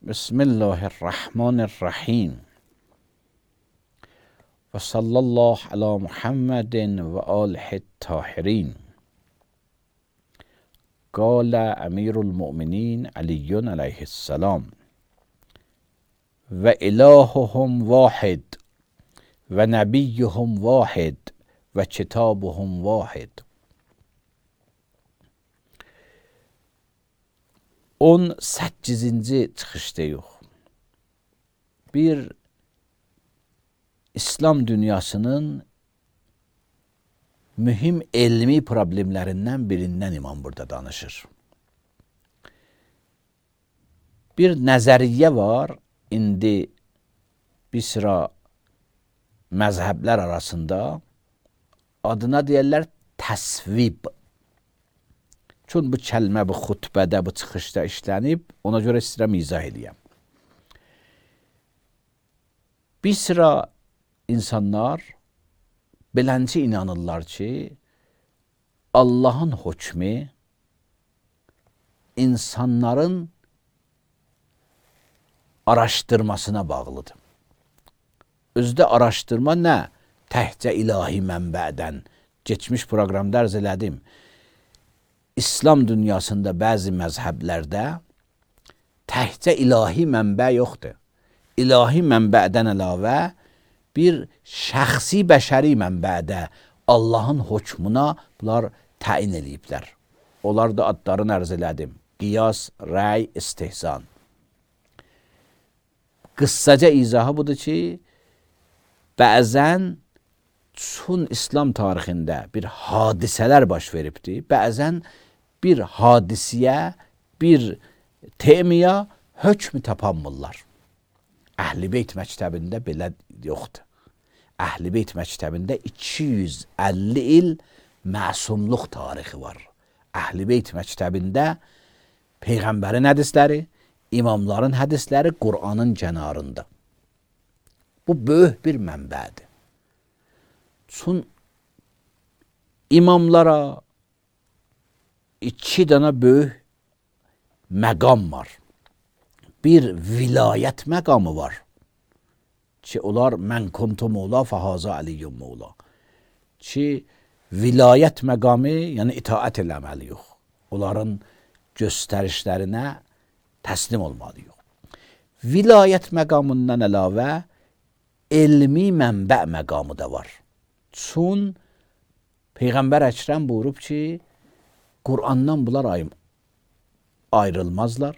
Bismillahirrahmanirrahim. Ve sallallahu ala Muhammedin ve alihi tahirin. Kâle emirul mu'minin Aliyyun aleyhisselam. Ve ilahuhum vahid. Ve nebiyyuhum vahid. Ve kitabuhum vahid. 18-ci çıxışdayıq. Bir İslam dünyasının mühim elmi problemlərindən birindən imam burada danışır. Bir nəzəriyyə var, indi bir sıra məzhəblər arasında adına deyərlər təsvib. Çün bu kəlmə bu xutbədə, bu çıxışda işlənib, ona görə istəyirəm izah edəyəm. Bir sıra insanlar belənci inanırlar ki, Allahın hökmü insanların araşdırmasına bağlıdır. Özdə araşdırma nə? Təhcə ilahi mənbədən. Geçmiş proqramda arz elədim. İslam dünyasında bəzi məzhəblərdə təhcə ilahi mənbə yoxdur. İlahi mənbədən əlavə bir şəxsi bəşəri mənbədə Allahın hökmuna bunlar təyin ediblər. Onlar da adlarını ərz elədim. Qiyas, rəy, istihsan. Qıssaca izahı budur ki, bəzən çün İslam tarixində bir hadisələr baş veribdir, bəzən bir hadisiyə, bir temiyə hökmü tapanmırlar. Əhl-i Beyt məktəbində belə yoxdur. Əhl-i Beyt məktəbində 250 il məsumluq tarixi var. Əhl-i Beyt məktəbində Peyğəmbərin hədisləri, imamların hədisləri Qur'anın kənarında. Bu böyük bir mənbədir. Çün imamlara 2 dənə böyük məqam var. Bir vilayət məqamı var ki, onlar mən kuntu mevla fəhaza aliyyum mevla. Ki, vilayət məqamı, yəni itaət eləməliyik. Onların göstərişlərinə təslim olmalıyıq. Vilayət məqamından əlavə elmi mənbə məqamı da var. Çün Peyğəmbər Əkrəm buyurub ki, Qur'andan bunlar ayrılmazlar.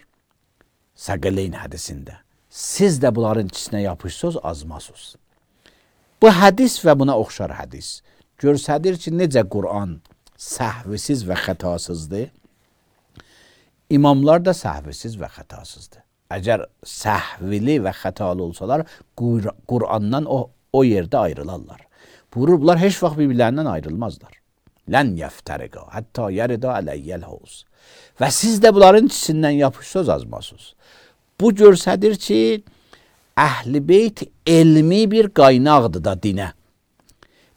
Səqələyn hədisində. Siz də bunların içinə yapışsınız, azmasınız. Bu hədis və buna oxşar hədis göstərir ki, necə Qur'an səhvisiz və xətasızdır. İmamlar da səhvisiz və xətasızdır. Əgər səhvili və xətalı olsalar, Qur'andan o yerdə ayrılarlar. Buyurur, bunlar heç vaxt bir-birlərindən ayrılmazlar. Lən yəftəriqə, hətta yərida ələyyəl hovuz. Və siz də bunların içindən yapışsınız, azmasınız. Bu göstərir ki, Əhl-i Beyt elmi bir qaynaqdır da dinə.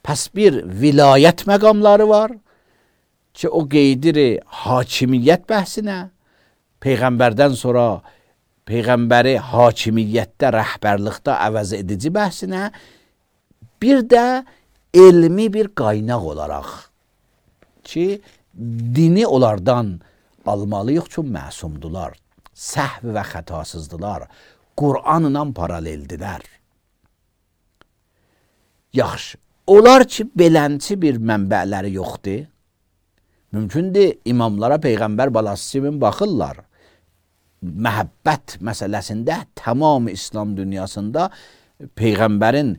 Pəs bir vilayət məqamları var ki, o qeydir hakimiyyət bəhsinə, Peyğəmbərdən sonra Peyğəmbəri hakimiyyətdə, rəhbərlikdə əvəz edici bəhsinə, bir də elmi bir qaynaq olaraq ki, dini onlardan almalıyıq ki, məsumdular, səhv və xətasızdılar, Qur'anla paraleldilər. Yaxşı, onlar ki, belənçi bir mənbələri yoxdur, mümkündür imamlara Peyğəmbər balası kimi baxırlar. Məhəbbət məsələsində tamam İslam dünyasında Peyğəmbərin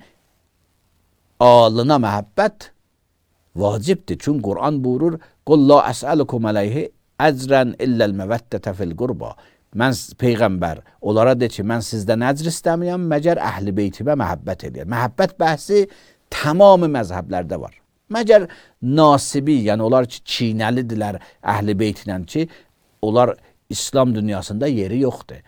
alına məhəbbət vacibdir. Çünki Qur'an buyurur, Qul la əsəlukum əleyhi əcrən illəl məvəddətə fil qurba. Mən Peyğəmbər, onlara de ki, mən sizdən əcr istəməyəm, məgər Əhl-i Beytimə məhəbbət edir. Məhəbbət bəhsi tamamı məzhəblərdə var. Məgər nasibi, yəni onlar ki, çiynəlidirlər Əhl-i Beytlə ki, onlar İslam dünyasında yeri yoxdur.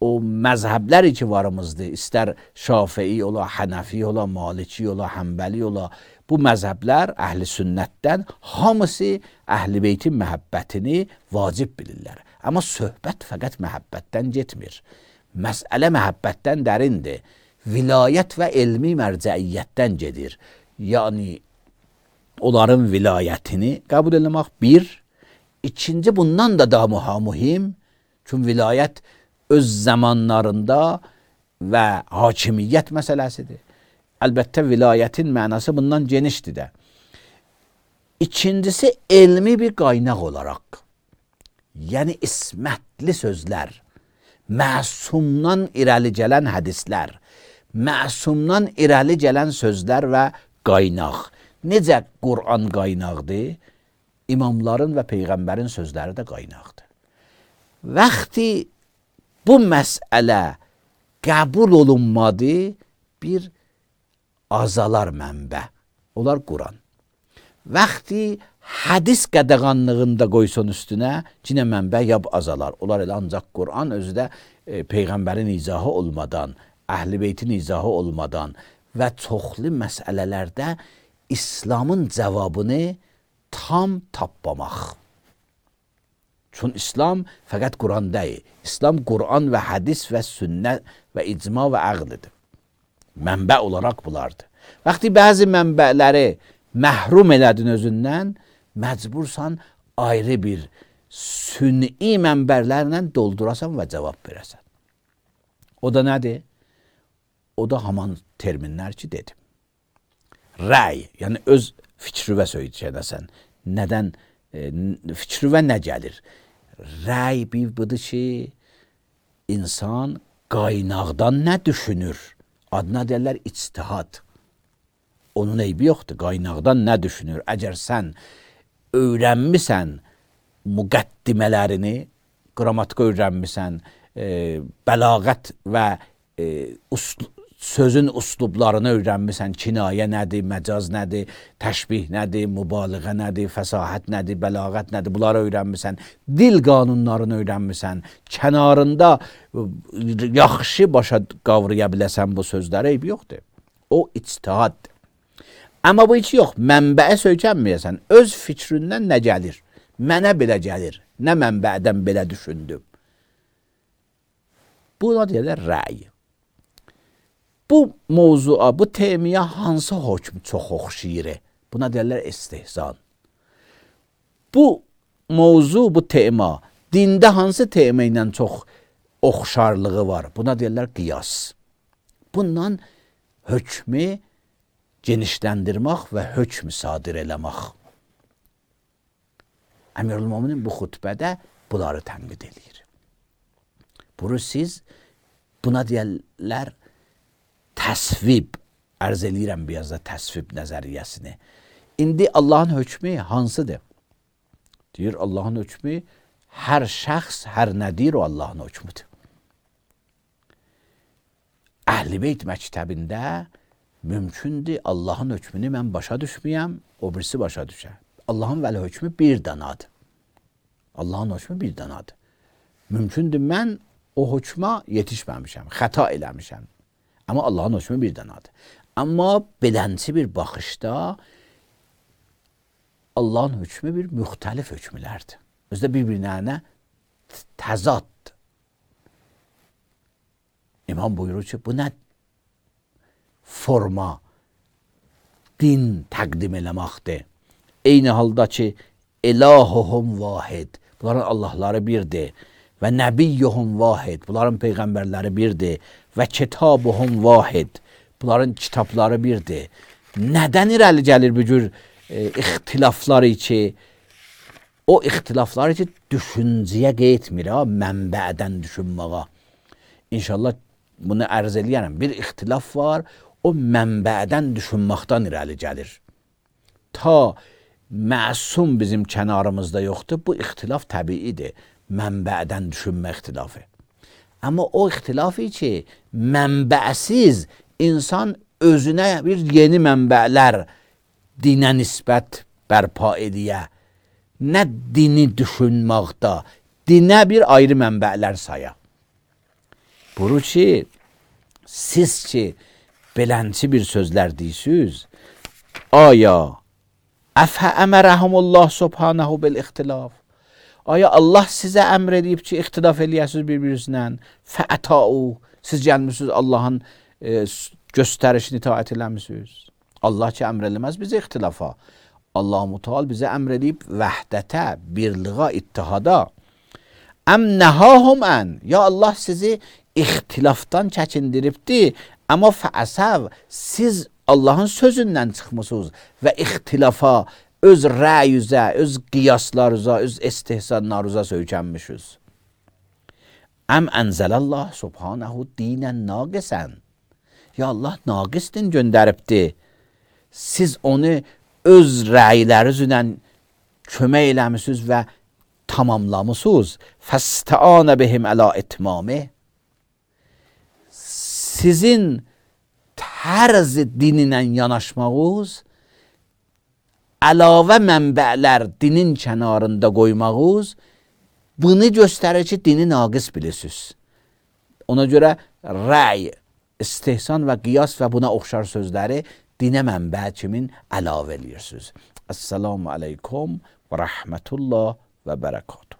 O məzhəbləri ki varımızdır, istər Şafii ola, Hənəfi ola, Maliki ola, Həmbəli ola, bu məzhəblər Əhl-i Sünnətdən hamısı Əhl-i Beytin məhəbbətini vacib bilirlər. Amma söhbət fəqət məhəbbətdən getmir. Məsələ məhəbbətdən dərindir. Vilayət və elmi mərcəiyyətdən gedir. Yəni onların vilayətini qəbul etmək bir. İkinci, bundan da daha mühim. Çünki vilayət öz zamanlarında və hakimiyyət məsələsidir. Əlbəttə vilayətin mənası bundan genişdir də. İkincisi, elmi bir qaynaq olaraq, yəni ismətli sözlər, məsumdan irəli gələn hədislər, məsumdan irəli gələn sözlər və qaynaq. Necə Qur'an qaynaqdır, imamların və Peyğəmbərin sözləri də qaynaqdır. Vaxti bu məsələ qəbul olunmadı, bir azalar mənbə, onlar Qur'an. Vaxti hədis qədəğanlığında qoysun üstünə, cinə mənbə yab azalar. Onlar elə ancaq Qur'an özü də Peyğəmbərin izahı olmadan, Əhl-i Beytin izahı olmadan və çoxlu məsələlərdə İslamın cavabını tam tapmamaq. Çünki İslam fəqət Qur'an deyil. İslam Qur'an və hədis və sünnət və icma və əqlidir. Mənbə olaraq bunlardır. Vaxti bəzi mənbələri məhrum elədin özündən, məcbursan ayrı bir sünni mənbərlərlə doldurasan və cavab verəsən. O da nədir? O da haman terminlər ki dedim. Rəy, yəni öz fikrivə söyləyəcəksən. Nədən, fikrivə nə gəlir? Rəy bir budur ki, insan qaynaqdan nə düşünür? Adına deyirlər ictihad. Onun eybi yoxdur, qaynaqdan nə düşünür? Əgər sən öyrənmisən müqəddimələrini, qrammatika öyrənmisən, bəlağət və sözün uslublarını öyrənmisən, kinayə nədir, məcaz nədir, təşbih nədir, mübaliğə nədir, fəsahət nədir, bəlağət nədir, bunları öyrənmisən, dil qanunlarını öyrənmisən, kənarında yaxşı başa qavraya biləsən bu sözləri, eybi yoxdur. O ictihaddır. Amma bu heç yox, mənbəyə söykənməyəsən, öz fikrindən nə gəlir, mənə belə gəlir, nə mənbədən belə düşündüm. Buna deyirlər rəy. Bu mövzua, bu temiyə hansı hökm çox oxşayır? Buna deyirlər istihzan. Bu mövzu, bu tema, dində hansı tema ilə çox oxşarlığı var? Buna deyirlər qiyas. Bundan hökmü genişləndirmək və hökm sadir eləmək. Əmirül-Möminin bu xutbədə bunları tənqid edir. Bunu siz, buna deyirlər təsvib, ərz eləyirəm biraz da təsvib nəzəriyyəsini. İndi Allahın hökmü hansıdır? Deyir, Allahın hökmü hər şəxs, hər nə deyir o Allahın hökmüdür. Əhl-i Beyt məktəbində mümkündür Allahın hökmünü mən başa düşməyəm, o birisi başa düşər. Allahın vəli hökmü bir danadır. Allahın hökmü bir danadır. Mümkündür mən o hökma yetişməmişəm, xəta eləmişəm. Amma Allahın hökmü bir danadır. Amma belənçi bir baxışda Allahın hökmü bir müxtəlif hökmlərdir. Özdə bir-birinə təzaddır. İmam buyurur ki, bu nə forma, din təqdim eləməkdir. Eyni halda ki, ilahuhum vahid, bunların Allahları birdir. Və nəbiyyuhum vahid, bunların peyğəmbərləri birdir. Və kitabuhum vahid, bunların kitabları birdir. Nədən irəli gəlir bu cür ixtilafları ki, o ixtilafları ki, düşüncəyə qeytmir, mənbədən düşünməyə. İnşallah bunu ərz eləyərəm. Bir ixtilaf var, o mənbədən düşünməkdən irəli gəlir. Ta məsum bizim kənarımızda yoxdur, bu ixtilaf təbiidir. Mənbədən düşünmə ixtilafı. Amma o ixtilafı ki, mənbəsiz insan özünə bir yeni mənbələr dinə nisbət bərpa ediyə, nə dini düşünməkdə, dinə bir ayrı mənbələr saya. Bunu ki, siz ki, belənçi bir sözlər deyirsiniz, aya əfə əmərəhumullah subhanahu bil ixtilaf, Aya Allah sizə əmr edib ki, ixtilaf eləyəsiniz bir-birinizlə? Fəətau. Siz gəlmişsiniz Allahın göstərişini itaat eləmişsiniz. Allah ki əmr eləməz bizə ixtilafa. Allah-u Teala bizə əmr edib vəhdətə, birliğa, ittihada. Əm nəhahum ən. Ya Allah sizi ixtilafdan çəkindiribdi. Amma fəəsəv, siz Allahın sözündən çıxmısınız və ixtilafa, öz rəyüzə, öz qiyaslarınıza, öz istihsanlarınıza söykənmişsiniz. Əm ənzəlallah subhanəhu dinən naqisən. Ya Allah naqis din göndəribdi. Siz onu öz rəylərinizlə kömək eləmişsiniz və tamamlamışsınız. Fəstəanə bihim əla itmami. Sizin tərz dininlə yanaşmağınız, əlavə mənbələr dinin kənarında qoymağınız, bunu göstərir ki, dini naqis bilirsiniz. Ona görə rəy, istihsan və qiyas və buna oxşar sözləri dinə mənbə kimin əlavə eləyirsiniz. Esselamu aleykum və rəhmətullah və bərəkatuhu.